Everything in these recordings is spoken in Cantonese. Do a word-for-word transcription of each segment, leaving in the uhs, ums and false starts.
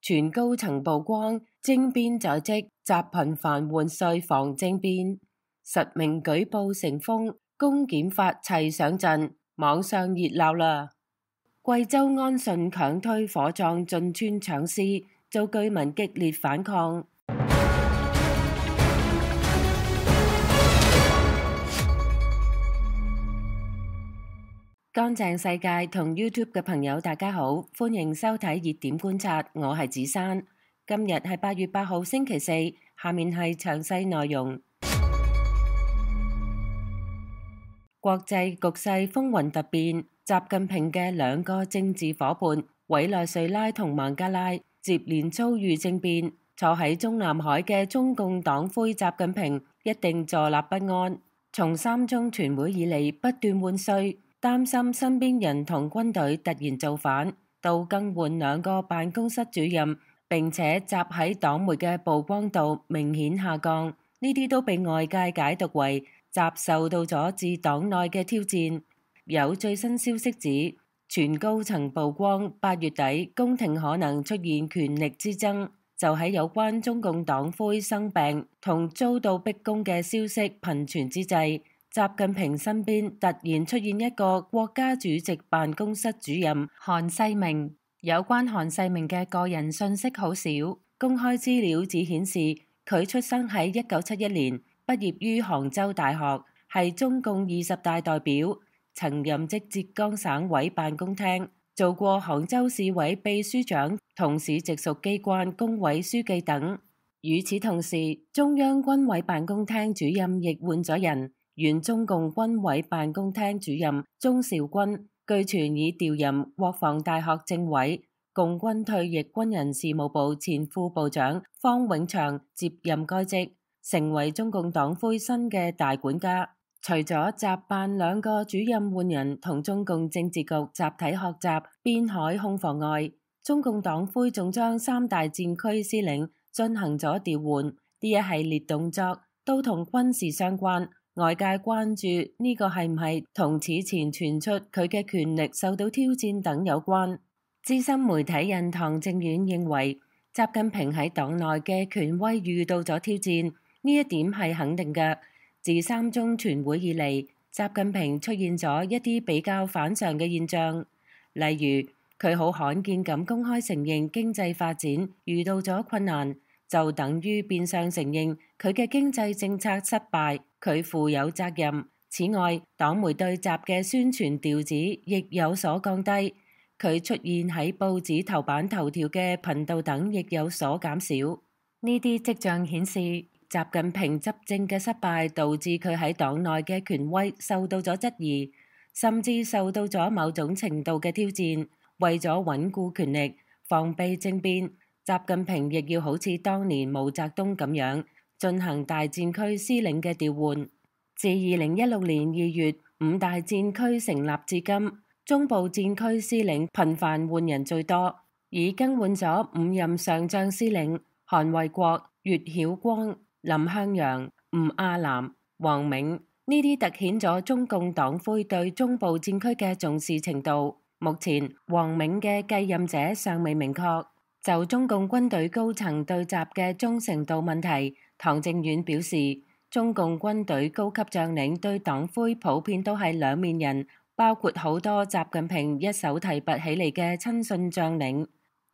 全高層曝光，政變在即，習頻繁換帥防政變，實名舉報成風，公檢法齊上陣，網上熱鬧啦。貴州安順強推火葬進村搶屍，遭居民激烈反抗。乾淨世界同 YouTube 嘅朋友大家好，歡迎收睇熱點觀察，我係子珊。今日係八月八號星期四，下面係詳細內容。國際局勢風雲突變，習近平嘅兩個政治夥伴委內瑞拉同孟加拉接連遭遇政變，坐喺中南海嘅中共黨魁習近平一定坐立不安。從三中全會以嚟不斷換帥，擔心身邊人同軍隊突然造反，到更換兩個辦公室主任，並且習喺黨媒嘅曝光度明顯下降，呢啲都被外界解讀為習受到咗自黨內嘅挑戰。有最新消息指，全高層曝光八月底宮廷可能出現權力之爭，就喺有關中共黨魁生病同遭到逼宮嘅消息頻傳之際，習近平身邊突然出現一個國家主席辦公室主任韓世明。有關韓世明嘅個人信息好少，公開資料只顯示佢出生喺一九七一年，畢業於杭州大學，係中共二十大代表，曾任職浙江省委辦公廳，做過杭州市委秘書長同市直屬機關工委書記等。與此同時，中央軍委辦公廳主任亦換咗人。原中共軍委辦公廳主任鍾兆軍，據傳已調任國防大學政委，共軍退役軍人事務部前副部長方永祥接任該職，成為中共黨魁新嘅大管家。除咗習辦兩個主任換人同中共政治局集體學習邊海空防外，中共黨魁仲將三大戰區司令進行咗調換，呢一系列動作都同軍事相關。外界關注呢個係唔係同此前傳出佢嘅權力受到挑戰等有關。資深媒體人唐正遠認為，習近平喺黨內嘅權威遇到咗挑戰，呢一點係肯定嘅。自三中全會以嚟，習近平出現咗一啲比較反常嘅現象，例如佢好罕見咁公開承認經濟發展遇到咗困難，就等於變相承認佢嘅經濟政策失敗，佢負有責任。此外，黨媒對習嘅宣傳調子亦有所降低，佢出現喺報紙頭版頭條嘅頻道等亦有所減少。呢啲跡象顯示，習近平執政嘅失敗導致佢喺黨內嘅權威受到咗質疑，甚至受到咗某種程度嘅挑戰。為咗穩固權力，防備政變，習近平亦要好似當年毛澤東咁樣進行大戰區司令嘅調換。自二零一六年二月五大戰區成立至今，中部戰區司令頻繁換人最多，已更換咗五任上將司令：韓衛國、岳曉光、林向陽、吳亞南、王銘。呢啲凸顯咗中共黨魁對中部戰區嘅重視程度。目前，王銘嘅繼任者尚未明確。就中共軍隊高層對習嘅忠誠度問題，唐正遠表示，中共軍隊高級將領對黨魁普遍都係兩面人，包括好多習近平一手提拔起嚟嘅親信將領。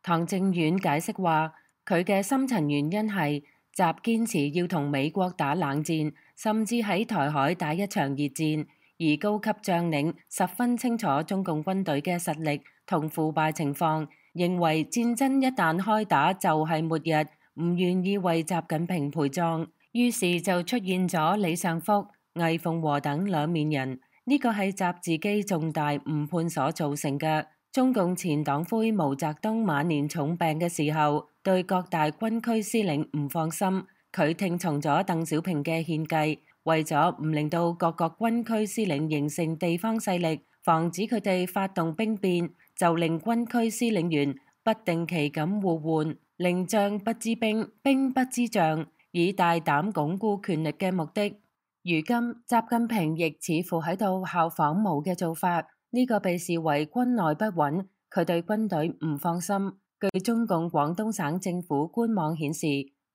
唐正遠解釋話，佢嘅深層原因係習堅持要同美國打冷戰，甚至喺台海打一場熱戰，而高級將領十分清楚中共軍隊嘅實力同腐敗情況，認為戰爭一旦開打就係末日，唔願意為習近平陪葬，於是就出現咗李尚福、魏鳳和等兩面人。呢個係習自己重大誤判所造成嘅。中共前黨魁毛澤東晚年重病嘅時候，對各大軍區司令唔放心，佢聽從咗鄧小平嘅獻計，為咗唔令到各個軍區司令形成地方勢力，防止佢哋發動兵變，就令軍區司令員不定期咁互換，令將不知兵，兵不知將，以大膽鞏固權力嘅目的。如今習近平亦似乎喺度效仿毛嘅做法，呢、這個被視為軍內不穩，佢對軍隊唔放心，據中共廣東省政府官網顯示，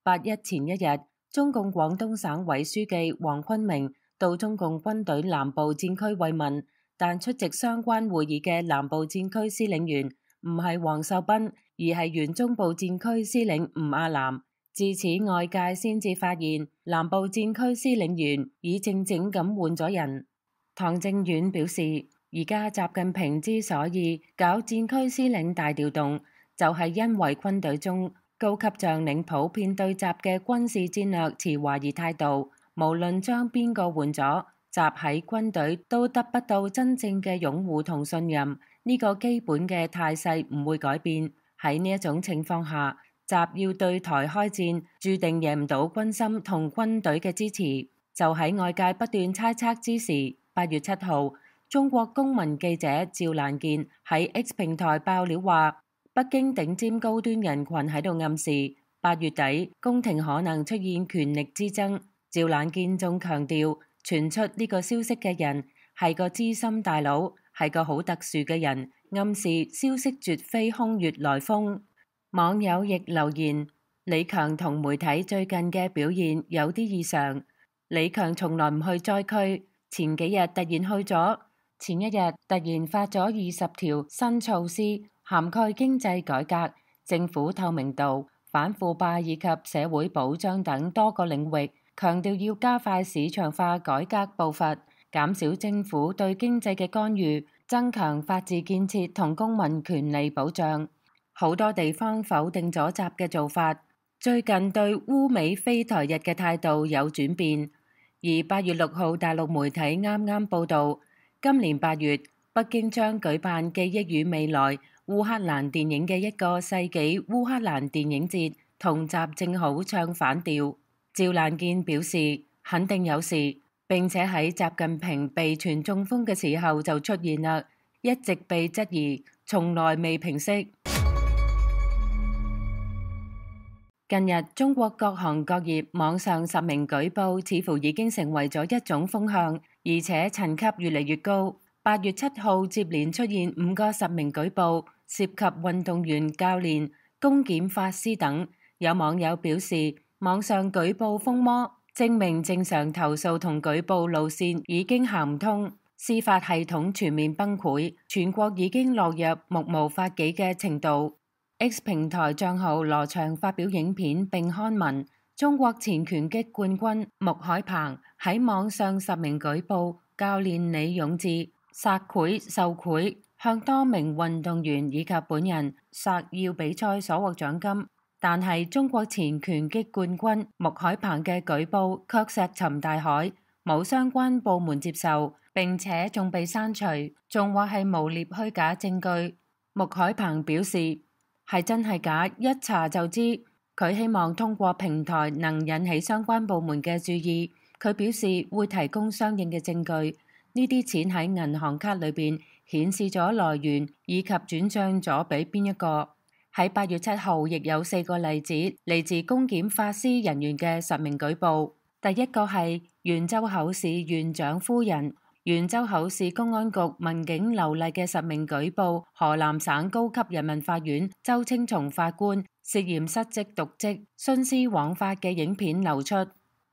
八一前一日，中共廣東省委書記黃坤明到中共軍隊南部戰區慰問，但出席相關會議嘅南部戰區司令員唔係黃秀斌，而係原中部戰區司令吳亞南。自此，外界先至發現南部戰區司令員已靜靜咁換咗人。唐正遠表示，而家習近平之所以搞戰區司令大調動，就係因為軍隊中高級將領普遍對習嘅軍事戰略持懷疑態度，無論將邊個換咗，習喺軍隊都得不到真正嘅擁護同信任，呢個基本嘅態勢唔會改變。喺呢一種情況下，習要對台開戰，注定贏唔到軍心同軍隊嘅支持。就喺外界不斷猜測之時，八月七號，中國公民記者趙蘭健喺 X 平台爆料話，北京頂尖高端人群喺度暗示八月底宮廷可能出現權力之爭。趙蘭健仲強調，傳出呢個消息嘅人係個資深大佬，係個好特殊嘅人，暗示消息絕非空穴來風。網友亦留言，李強同媒體最近嘅表現有啲異常。李強從來唔去災區，前幾日突然去咗，前一日突然發咗二十條新措施，涵蓋經濟改革、政府透明度、反腐敗以及社會保障等多個領域，強調要加快市場化改革步伐，減少政府對經濟嘅干預，增強法治建設同公民權利保障。好多地方否定咗習嘅做法，最近對烏美非台日嘅態度有轉變。而八月六號，大陸媒體啱啱報道，今年八月北京將舉辦記憶與未來烏克蘭電影嘅一個世紀烏克蘭電影節，同習正好唱反調。趙蘭健表示肯定有事，並且喺習近平被傳中風嘅時候就出現啦，一直被質疑，從來未平息。近日，中國各行各業網上實名舉報似乎已經成為咗一種風向，而且層級越嚟越高。八月七號接連出現五個實名舉報，涉及運動員、教練、公檢法師等。有網友表示，網上舉報瘋魔，證明正常投訴同舉報路線已經行唔通，司法系統全面崩潰，全國已經落入目無法紀嘅程度。X 平台賬號羅翔發表影片並刊文，中國前拳擊冠軍穆海鵬喺網上實名舉報教練李勇志索賄受賄，向多名運動員以及本人索要比賽所獲獎金。但係中國前拳擊冠軍穆海鵬嘅舉報卻石沉大海，冇相關部門接受，並且仲被刪除，仲話係誣衊虛假證據。穆海鵬表示，係真係假，一查就知。佢希望通過平台能引起相關部門嘅注意。佢表示會提供相應嘅證據。呢啲錢喺銀行卡裏邊顯示咗來源以及轉賬咗俾邊一個。喺八月七號，亦有四個例子嚟自公檢法師人員嘅實名舉報。第一個係袁州口市縣長夫人。袁州口市公安局民警劉麗嘅實名舉報河南省高級人民法院周青松法官涉嫌失職瀆職、徇私枉法嘅影片流出。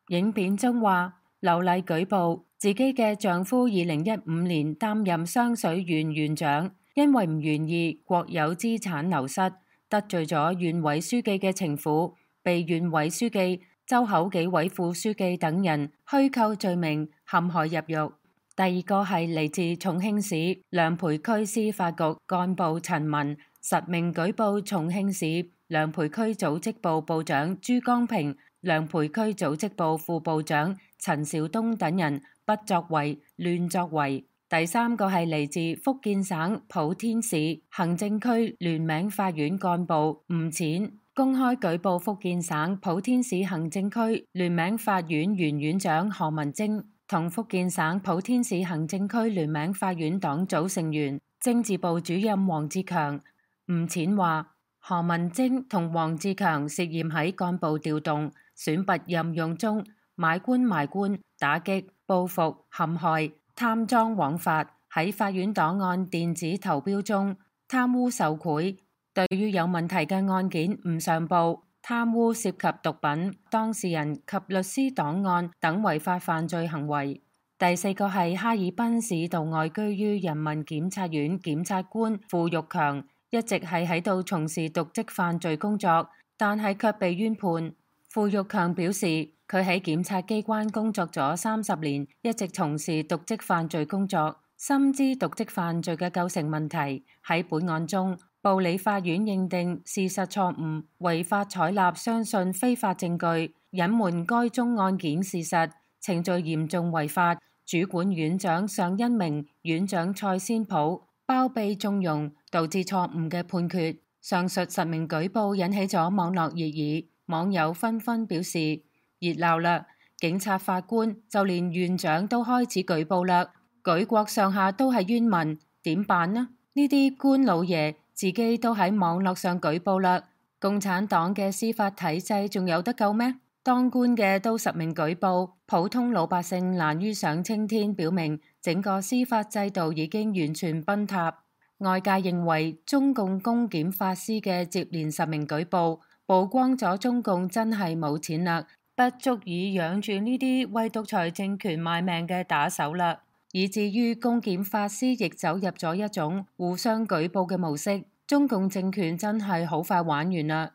影片中話，劉麗舉報自己嘅丈夫二零一五年擔任雙水縣縣長，因為唔願意國有資產流失，得罪咗縣委書記嘅情婦，被縣委書記、周口幾位副書記等人虛構罪名陷害入獄。第二個係嚟自重慶市梁培區司法局幹部陳文，實名舉報重慶市梁培區組織部部長朱光平、梁培區組織部副部長陳兆東等人不作為、亂作為。第三個係嚟自福建省莆田市行政區聯名法院幹部吳淺，公開舉報福建省莆田市行政區聯名法院原院長何文晶同福建省莆田市行政區聯名法院黨組成員政治部主任黃志強。吳淺話，何文晶同黃志強涉嫌喺幹部調動、選拔任用中買官賣官、打擊、報復、陷害、貪贓枉法，喺法院檔案電子投標中貪污受賄、對於有問題嘅案件唔上報，貪污涉及毒品、當事人及律師檔案等違法犯罪行為。第四個係哈爾濱市道外居於人民檢察院檢察官傅玉強，一直係喺度從事瀆職犯罪工作，但係卻被冤判。傅玉強表示，佢喺檢察機關工作咗三十年，一直從事瀆職犯罪工作，深知瀆職犯罪嘅構成問題。喺本案中，部理法院認定事實錯誤，違法採納相信非法證據，隱瞞該宗案件事實，程序嚴重違法。主管院長尚恩明、院長蔡先普包庇縱容，導致錯誤嘅判決。上述實名舉報引起咗網絡熱議，網友紛紛表示熱鬧啦！警察法官就連院長都開始舉報啦，舉國上下都係冤民，點辦呢？呢啲官老爺自己都喺網絡上舉報啦，共產黨嘅司法體制仲有得救咩？當官嘅都實名舉報，普通老百姓難於上青天，表明整個司法制度已經完全崩塌。外界認為中共公檢法師嘅接連實名舉報，曝光咗中共真係冇錢啦，不足以養住呢啲為獨裁政權賣命嘅打手啦，以至於公檢法師亦走入咗一種互相舉報嘅模式。中共政權真係好快玩完啦。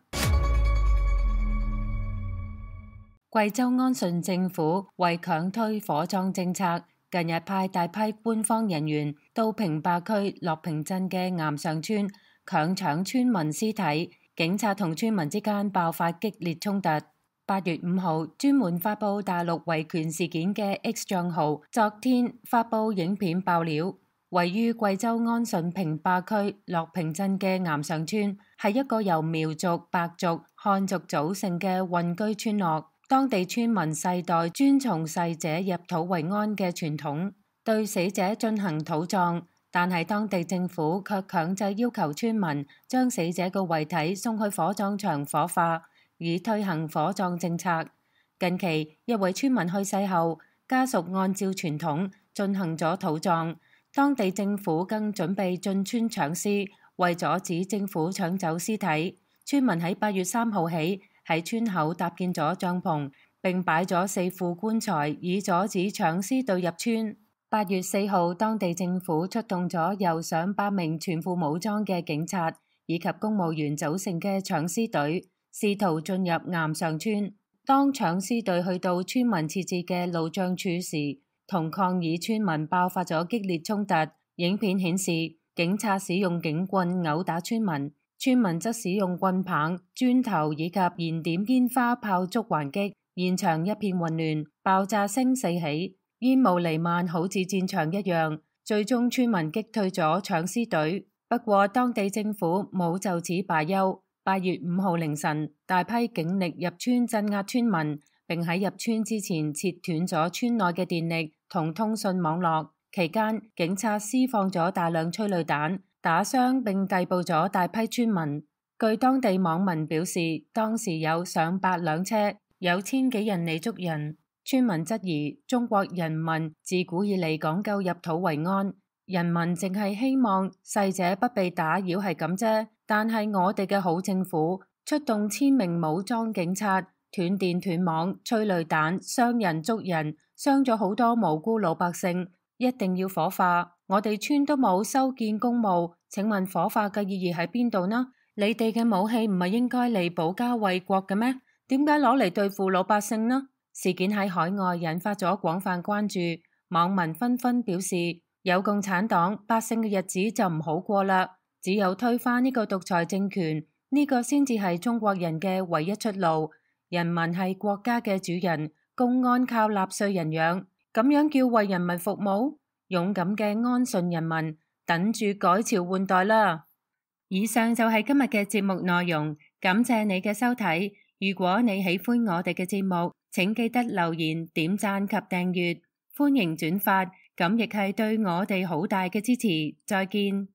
貴州安順政府為強推火葬政策，近日派大批官方人員到平壩區樂平鎮嘅岩上村強搶村民屍體，警察同村民之間爆發激烈衝突。八月五號，專門發佈大陸維權事件嘅 X 賬號昨天發佈影片爆料，位於貴州安順平壩區樂平鎮嘅岩上村係一個由苗族、白族、漢族組成嘅混居村落。當地村民世代遵從逝者入土為安嘅傳統，對死者進行土葬，但係當地政府卻強制要求村民將死者嘅遺體送去火葬場火化，以推行火葬政策。近期一位村民去世後，家屬按照傳統進行咗土葬，當地政府更準備進村搶屍，為阻止政府搶走屍體，村民喺八月三號起喺村口搭建咗帳篷，並擺咗四副棺材，以阻止搶屍隊入村。八月四號，當地政府出動咗由上百名全副武裝嘅警察以及公務員組成嘅搶屍隊，試圖進入岩上村。當搶屍隊去到村民設置嘅路障處時，同抗議村民爆發咗激烈衝突。影片顯示，警察使用警棍毆打村民。村民則使用棍棒、磚頭以及燃點煙花炮竹還擊，現場一片混亂，爆炸聲四起，煙霧彌漫，好似戰場一樣。最終村民擊退咗搶屍隊，不過當地政府冇就此罷休。八月五號凌晨，大批警力入村鎮壓村民，並喺入村之前切斷咗村內嘅電力同通訊網絡。期間，警察施放咗大量催淚彈，打傷並逮捕咗大批村民。據當地網民表示，當時有上百輛車，有千幾人嚟捉人。村民質疑中國人民自古以嚟講究入土為安，人民淨係希望逝者不被打擾係咁啫。但係我哋嘅好政府出動千名武裝警察，斷電斷網、催淚彈、傷人捉人，傷咗好多無辜老百姓，一定要火化。我哋村都冇修建公墓，請問火化嘅意義喺邊度呢？你哋嘅武器唔係應該嚟保家衛國嘅咩？點解攞嚟對付老百姓呢？事件喺海外引發咗廣泛關注，網民紛紛表示，有共產黨，百姓嘅日子就唔好過啦。只有推翻呢個獨裁政權，呢個先至係中國人嘅唯一出路。人民係國家嘅主人，公安靠納稅人養，咁樣叫為人民服務？勇敢嘅安順人民，等住改朝換代啦！以上就係今日嘅節目內容，感謝你嘅收睇。如果你喜歡我哋嘅節目，請記得留言、點讚及訂閱，歡迎轉發，咁亦係對我哋好大嘅支持。再見。